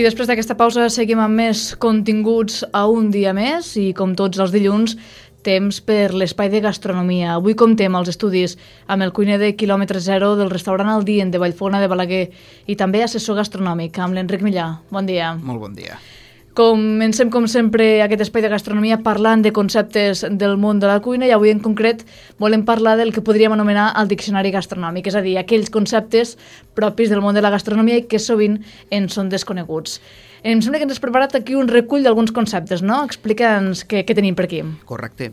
després d'aquesta pausa seguim amb més continguts a un dia més i com tots els dilluns temps per l'espai de gastronomia. Avui comptem els estudis amb el cuiner de quilòmetre zero del restaurant El Dient de Vallfogona de Balaguer i també assessor gastronòmic amb l'Enric Millà. Bon dia. Molt bon dia. Comencem, com sempre, aquest espai de gastronomia parlant de conceptes del món de la cuina i avui en concret volem parlar del que podríem anomenar el diccionari gastronòmic, és a dir, aquells conceptes propis del món de la gastronomia i que sovint en són desconeguts. Em sembla que ens has preparat aquí un recull d'alguns conceptes, no? Explica'ns què tenim per aquí. Correcte.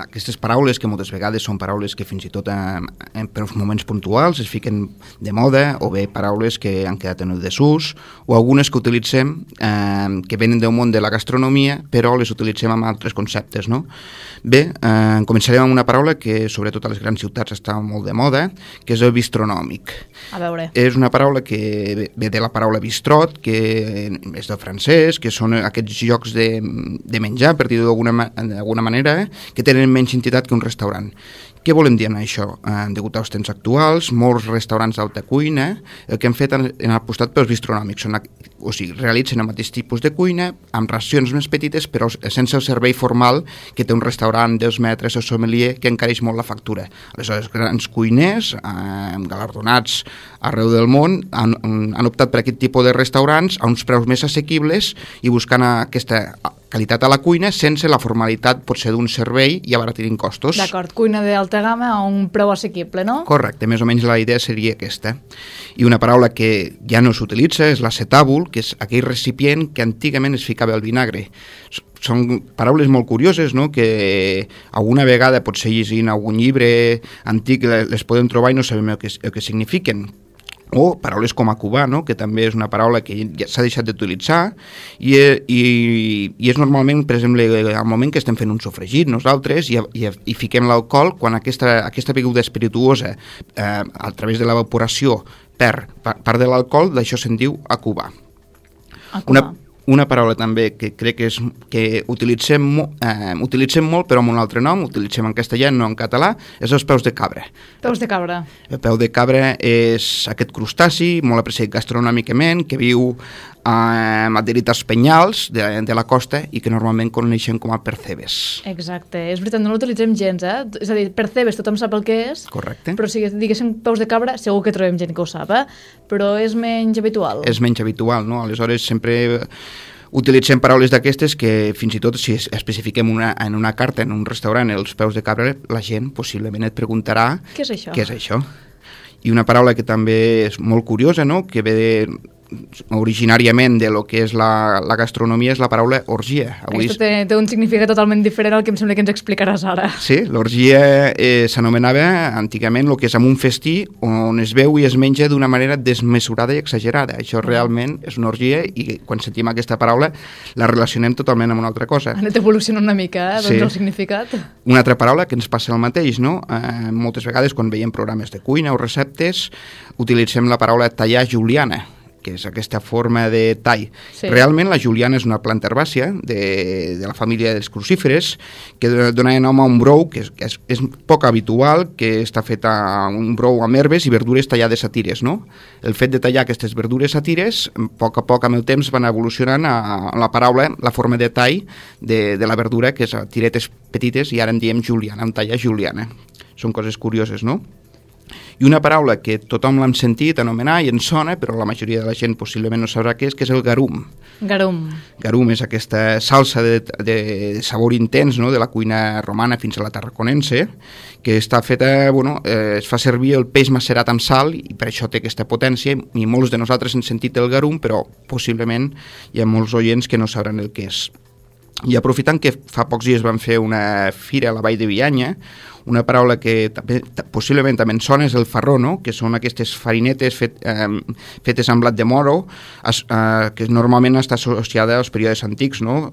Aquestes paraules, que moltes vegades són paraules que fins i tot per uns moments puntuals es fiquen de moda, o bé paraules que han quedat en el desús, o algunes que utilitzem que venen del món de la gastronomia, però les utilitzem amb altres conceptes, no? Bé, començarem amb una paraula que sobretot a les grans ciutats està molt de moda, que és el bistronòmic. A veure. És una paraula que ve de la paraula bistrot, que és del francès, que són aquests llocs de menjar, per dir-ho d'alguna manera, que tenen menys entitat que un restaurant. Què volem dir amb això? Degut als temps actuals, molts restaurants d'alta cuina el que han fet han apostat pels bistronòmics, o sigui, realitzen el mateix tipus de cuina amb racions més petites però sense el servei formal que té un restaurant dels metres o sommelier que encareix molt la factura. Aleshores, grans cuiners galardonats arreu del món han optat per aquest tipus de restaurants a uns preus més assequibles i buscant aquesta qualitat a la cuina sense la formalitat potser d'un servei i abaratir costos. D'acord, cuina d'alta gamma a un preu assequible, no? Correcte, més o menys la idea seria aquesta. I una paraula que ja no s'utilitza és l'acetàbul, que és aquell recipient que antigament es ficava el vinagre. Són paraules molt curioses, no?, que alguna vegada potser llegint algun llibre antic les podem trobar i no sabem el que signifiquen. O paraules com a cubà, no?, que també és una paraula que ja s'ha deixat d'utilitzar i és normalment, per exemple, al moment que estem fent un sofregit nosaltres i fiquem l'alcohol, quan aquesta beguda espirituosa a través de l'evaporació perd part de l'alcohol, d'això se'n diu acubar. Una paraula també que crec que utilitzem molt però amb un altre nom, utilitzem en castellà, no en català, és els peus de cabra. Peus de cabra. El peu de cabra és aquest crustaci molt apreciat gastronòmicament que viu adherit als penyals de la costa i que normalment coneixem com a percebes. Exacte, és veritat, no l'utilitzem gens, És a dir, percebes tothom sap el que és, correcte, però si diguéssim peus de cabra segur que trobem gent que ho sap, però és menys habitual. És menys habitual, no? Aleshores sempre utilitzem paraules d'aquestes que fins i tot si especifiquem en una carta en un restaurant els peus de cabra, la gent possiblement et preguntarà què és això? Què és això? I una paraula que també és molt curiosa, no?, que ve originàriament de lo que és la gastronomia és la paraula orgia. Aquesta té un significat totalment diferent al que em sembla que ens explicaràs ara. Sí, l'orgia s'anomenava antigament el que és amb un festí on es veu i es menja d'una manera desmesurada i exagerada. Això realment és una orgia i quan sentim aquesta paraula la relacionem totalment amb una altra cosa. Ha anat evolucionant una mica, doncs, el significat. Una altra paraula que ens passa el mateix, no? Moltes vegades quan veiem programes de cuina o receptes utilitzem la paraula tallar juliana, que és aquesta forma de tall. Sí. Realment la juliana és una planta herbàcia de la família dels crucíferes que dona nom a un brou que és poc habitual, que està fet a un brou amb herbes i verdures tallades a tires, no? El fet de tallar aquestes verdures a tires, a poc amb el temps van evolucionant a la paraula, la forma de tall de la verdura, que és a tiretes petites, i ara en diem juliana, en tallar juliana. Són coses curioses, no? I una paraula que tothom l'han sentit anomenar i ens sona, però la majoria de la gent possiblement no sabrà què és, que és el garum. Garum. Garum és aquesta salsa de sabor intens, no?, de la cuina romana fins a la tarraconense, que està feta, es fa servir el peix macerat amb sal i per això té aquesta potència i molts de nosaltres hem sentit el garum, però possiblement hi ha molts oients que no sabran el que és. I aprofitant que fa pocs dies van fer una fira a la Vall de Bianya, una paraula que possiblement també ens sona és el farró, no?, que són aquestes farinetes fetes amb blat de moro, que normalment està associada als períodes antics, no?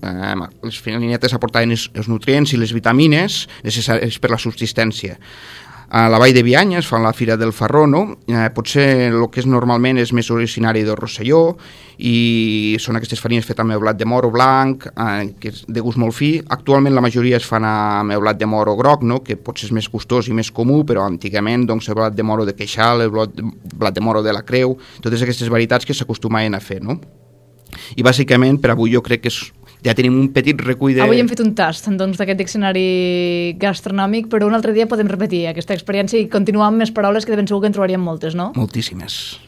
Les farinetes aportaven els nutrients i les vitamines necessaris per la subsistència. A la Vall de Bianya es fa la Fira del Farró, no? Potser el que és normalment és més originari del Rosselló i són aquestes farines fetes amb el blat de moro blanc, que és de gust molt fi. Actualment la majoria es fan amb el blat de moro groc, no?, que potser és més gustós i més comú, però antigament doncs, el blat de moro de queixal, el blat de moro de la creu, totes aquestes varietats que s'acostumaven a fer, no? I bàsicament per avui jo crec que ja tenim un petit recull de... Avui hem fet un tast doncs, d'aquest diccionari gastronòmic, però un altre dia podem repetir aquesta experiència i continuar amb més paraules que de ben segur que en trobaríem moltes, no? Moltíssimes.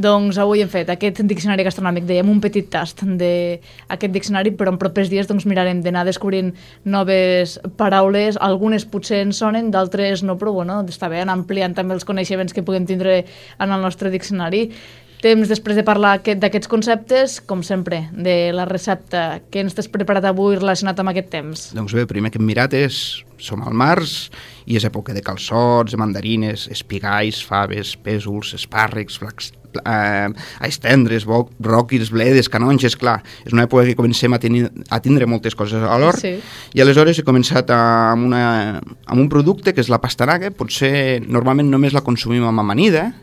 Doncs avui hem fet aquest diccionari gastronòmic, dèiem un petit tast d'aquest diccionari, però en propers dies doncs, mirarem d'anar descobrint noves paraules, algunes potser ens sonen, d'altres no, però bueno, està bé anar ampliant també els coneixements que puguem tindre en el nostre diccionari. Temps després de parlar d'aquests conceptes, com sempre, de la recepta que ens has preparat avui relacionat amb aquest temps. Doncs bé, el primer que hem mirat som al març i és època de calçots, de mandarines, espigais, faves, pèsols, espàrrecs, alls tendres, bròquils, bledes, canonges, clar. És una època que comencem a tindre moltes coses a l'hort, sí. I aleshores he començat amb un producte que és la pastanaga. Potser normalment només la consumim amb amanida,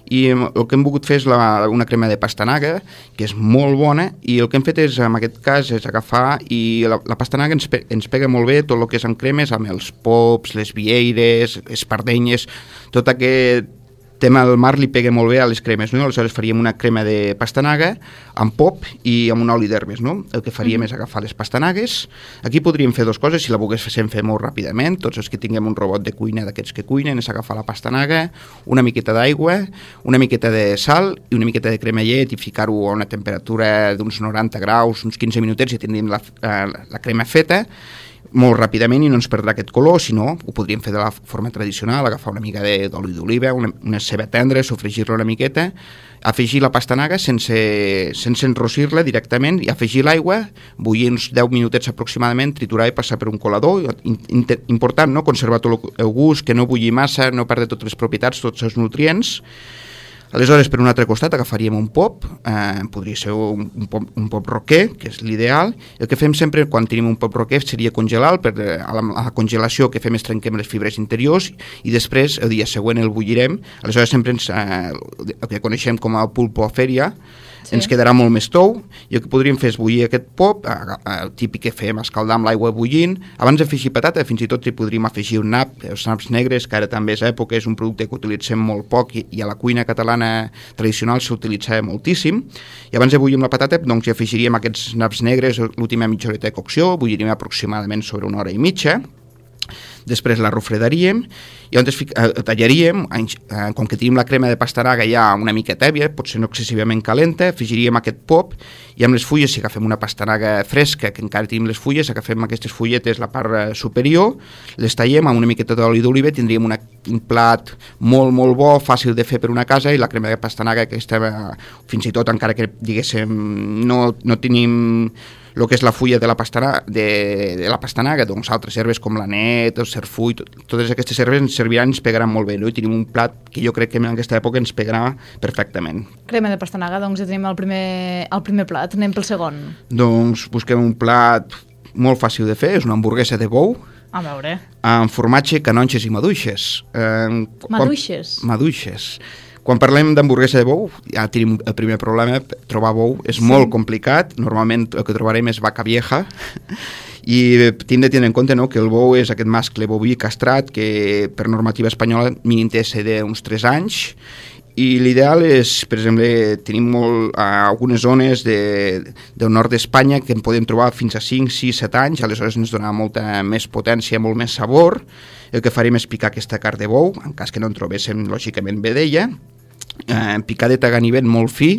i el que hem volgut fer és una crema de pastanaga, que és molt bona, i el que hem fet és, en aquest cas, és agafar, i la pastanaga ens pega molt bé tot el que és amb cremes, amb els pops, les vieires, espardenyes, tot aquest tema del mar li pega molt bé a les cremes, no? Aleshores faríem una crema de pastanaga amb pop i amb un oli d'herbes, no? El que faríem és agafar les pastanagues. Aquí podríem fer dues coses, si la volguéssim fer molt ràpidament, tots els que tinguem un robot de cuina d'aquests que cuinen, és agafar la pastanaga, una miqueta d'aigua, una miqueta de sal i una miqueta de crema llet i ficar-ho a una temperatura d'uns 90 graus, uns 15 minutets i tindríem la crema feta molt ràpidament i no ens perdrà aquest color, si no, ho podríem fer de la forma tradicional, agafar una mica d'oli d'oliva, una ceba tendra, sofregir-la una miqueta, afegir la pastanaga sense enrossir-la directament i afegir l'aigua, bullir uns 10 minutets aproximadament, triturar i passar per un colador. Important, no?, conservar tot el gust, que no bulli massa, no perdre totes les propietats, tots els nutrients. Aleshores, per un altre costat, agafaríem un pop, podria ser un pop roquer, que és l'ideal. El que fem sempre quan tenim un pop roquer seria congelar, a la congelació que fem és trenquem les fibres interiors i després el dia següent el bullirem. Aleshores sempre el que coneixem com a pulpo a fèria, sí. Ens quedarà molt més tou, i el que podríem fer és bullir aquest pop, el típic que fem, escaldar amb l'aigua bullint. Abans d'afegir patata, fins i tot hi podríem afegir un nap, els naps negres, que ara també és època, és un producte que utilitzem molt poc i a la cuina catalana tradicional s'utilitzava moltíssim. I abans de bullir amb la patata, doncs hi afegiríem aquests naps negres, l'última mitja horeta de cocció, bulliríem aproximadament sobre 1 hora i mitja. Després la refredaríem i llavors tallaríem, com que tenim la crema de pastanaga ja una mica tèbia, potser no excessivament calenta, afegiríem aquest pop i amb les fulles, si agafem una pastanaga fresca, que encara tenim les fulles, agafem aquestes fulletes, la part superior, les tallem amb una miqueta d'oli d'oliva, tindríem un plat molt, molt bo, fàcil de fer per una casa, i la crema de pastanaga, que fins i tot, encara que diguéssim no tenim el que és la fulla de la pastanaga, doncs altres herbes com l'anet, el serfull, totes aquestes herbes ens serviran, ens pegaran molt bé, no? I tenim un plat que jo crec que en aquesta època ens pegarà perfectament. Crema de pastanaga, doncs ja tenim el primer plat, anem pel segon. Doncs busquem un plat molt fàcil de fer, és una hamburguesa de bou, a veure, amb formatge, canonges i maduixes. Maduixes. Quan parlem d'hamburguesa de bou, ja tenim el primer problema, trobar bou és molt complicat, normalment el que trobarem és vaca vieja, i hem de tenir en compte, no?, que el bou és aquest mascle boví castrat que per normativa espanyola mínim té d'uns 3 anys, i l'ideal és, per exemple, tenim algunes zones del nord d'Espanya que en podem trobar fins a 5, 6, 7 anys, aleshores ens donarà molta més potència, molt més sabor. El que farem és picar aquesta carn de bou, en cas que no en trobéssim, lògicament, vedella, picadeta a ganivet molt fi,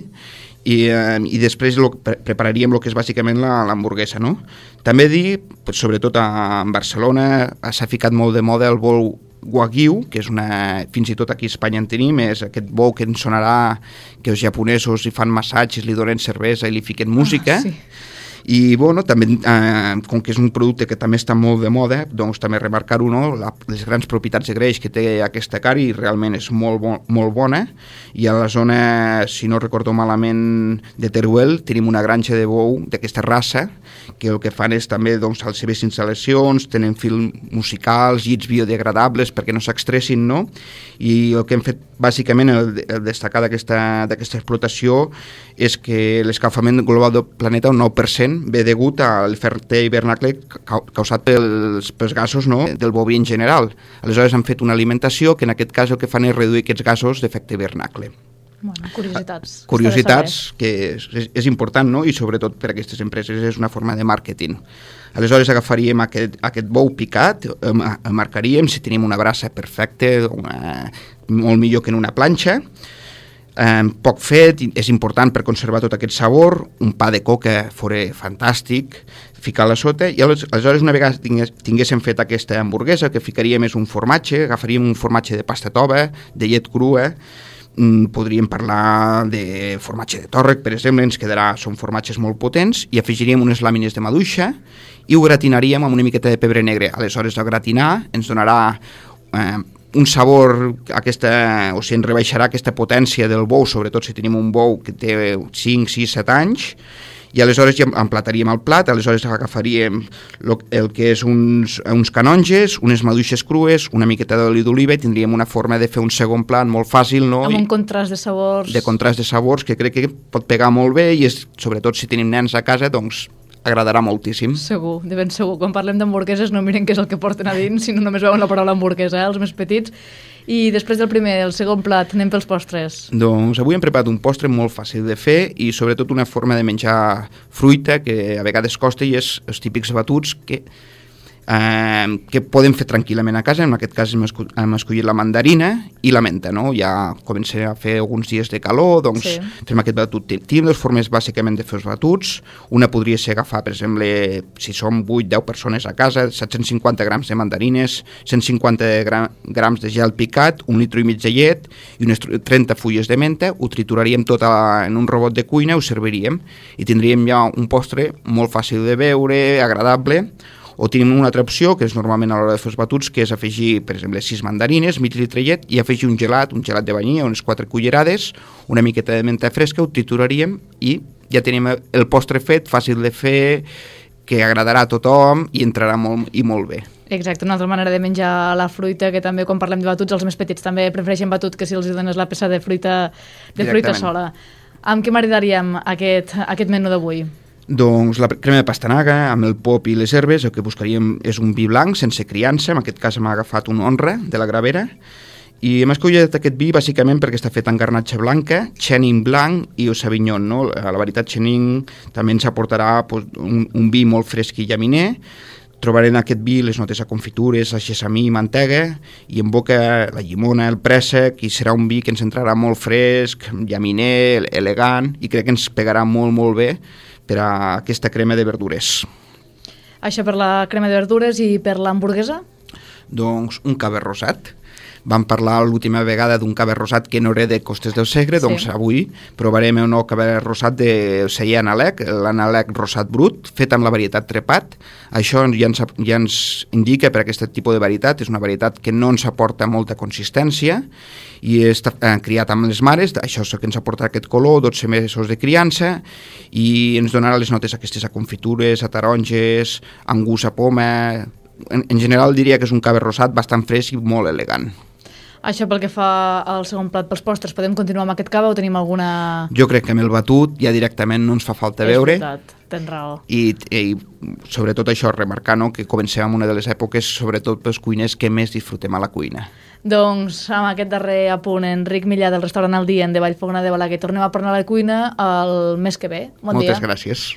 i després prepararíem el que és bàsicament l'hamburguesa, no? També dir, sobretot a Barcelona, s'ha ficat molt de moda el bou Wagyu, que és fins i tot aquí a Espanya en tenim, és aquest bou que ens sonarà que els japonesos hi fan massatges, li donen cervesa i li fiquen música. Sí. I, bueno, també, com que és un producte que també està molt de moda, doncs també remarcar-ho, no?, les grans propietats de greix que té aquesta carn, i realment és molt bona. I a la zona, si no recordo malament, de Teruel, tenim una granja de bou d'aquesta raça, que el que fan és també, doncs, a les seves instal·lacions, tenen fils musicals, llits biodegradables perquè no s'extressin, no? I el que hem fet, bàsicament, el destacar d'aquesta explotació és que l'escalfament global del planeta, un 9%, ve degut a l'efecte hivernacle causat pels gasos, no?, del boví en general. Aleshores han fet una alimentació que en aquest cas el que fan és reduir aquests gasos d'efecte hivernacle. Bueno, curiositats. Curiositats que és important, no? I sobretot per a aquestes empreses és una forma de màrqueting. Aleshores agafaríem aquest bou picat, el marcaríem, si tenim una brasa perfecta, molt millor que en una planxa, poc fet, és important per conservar tot aquest sabor, un pa de coca fora fantàstic, ficar-la sota, i aleshores una vegada tinguéssim fet aquesta hamburguesa, que ficaríem és un formatge, agafaríem un formatge de pasta tova, de llet crua, podríem parlar de formatge de tòrrec, per exemple, són formatges molt potents, i afegiríem unes làmines de maduixa i ho gratinaríem amb una miqueta de pebre negre. Aleshores, al gratinar ens donarà un sabor, o sigui, ens rebaixarà aquesta potència del bou, sobretot si tenim un bou que té 5, 6, 7 anys, i aleshores ja emplataríem el plat, aleshores agafaríem el que és uns canonges, unes maduixes crues, una miqueta d'oli d'oliva, i tindríem una forma de fer un segon plat molt fàcil, no? Amb un contrast de sabors. De contrast de sabors, que crec que pot pegar molt bé, i sobretot si tenim nens a casa, doncs agradarà moltíssim. Segur, de ben segur. Quan parlem d'hamburgueses no miren què és el que porten a dins, sinó només veuen la paraula hamburguesa, els més petits. I després del primer, el segon plat, anem pels postres. Doncs avui hem preparat un postre molt fàcil de fer i sobretot una forma de menjar fruita que a vegades costa, i és els típics batuts que podem fer tranquil·lament a casa. En aquest cas hem escollit la mandarina i la menta, no? Ja comença a fer alguns dies de calor, doncs fem aquest batut. Tenim dues formes bàsicament de fer els batuts. Una podria ser agafar, per exemple, si som 8-10 persones a casa, 750 grams de mandarines, 150 grams de gel picat, 1,5 litres de llet i unes 30 fulles de menta. Ho trituraríem tot en un robot de cuina, ho serviríem i tindríem ja un postre molt fàcil de beure, agradable. O tenim una altra opció, que és normalment a l'hora de fer els batuts, que és afegir, per exemple, 6 mandarines, mig litre de llet, i afegir un gelat de vainilla, unes 4 cullerades, una miqueta de menta fresca, ho trituraríem i ja tenim el postre fet, fàcil de fer, que agradarà a tothom i entrarà molt bé. Exacte, una altra manera de menjar la fruita, que també quan parlem de batuts, els més petits també prefereixen batut que si els dones la peça de fruita sola. Amb què maridaríem aquest menú d'avui? Doncs la crema de pastanaga amb el pop i les herbes. El que buscaríem és un vi blanc sense criança, en aquest cas hem agafat un Honra de la Gravera, i hem escollit aquest vi bàsicament perquè està fet en garnatxa blanca, Chenin blanc i Sauvignon, no? A la veritat, Chenin també ens aportarà un vi molt fresc i llaminer. Trobarem en aquest vi les notes a confitures, a sesamí i mantega, i en boca la llimona, el préssec, i serà un vi que ens entrarà molt fresc, llaminer, elegant, i crec que ens pegarà molt bé per a aquesta crema de verdures. Això per la crema de verdures. I per l'hamburguesa? Doncs un cava rosat. Vam parlar l'última vegada d'un cava rosat que no era de Costes del Segre, doncs avui provarem un nou cava rosat del celler Analec, l'Analec rosat brut, fet amb la varietat trepat. Això ja ens indica per aquest tipus de varietat, és una varietat que no ens aporta molta consistència i està criat amb les mares, això és el que ens aporta aquest color, 12 mesos de criança, i ens donarà les notes aquestes a confitures, a taronges, amb gust a poma. En general diria que és un cava rosat bastant fresc i molt elegant. Això pel que fa al segon plat pels postres, podem continuar amb aquest cava o tenim alguna... Jo crec que amb el batut ja directament no ens fa falta veure. És veritat, tens raó. I sobretot això, remarcar, no, que comencem amb una de les èpoques, sobretot pels cuiners que més disfrutem a la cuina. Doncs amb aquest darrer apunt, Enric Millà del restaurant El Dient de Vallfogona de Balaguer, tornem a parlar a la cuina el mes que ve. Bon dia. Moltes gràcies.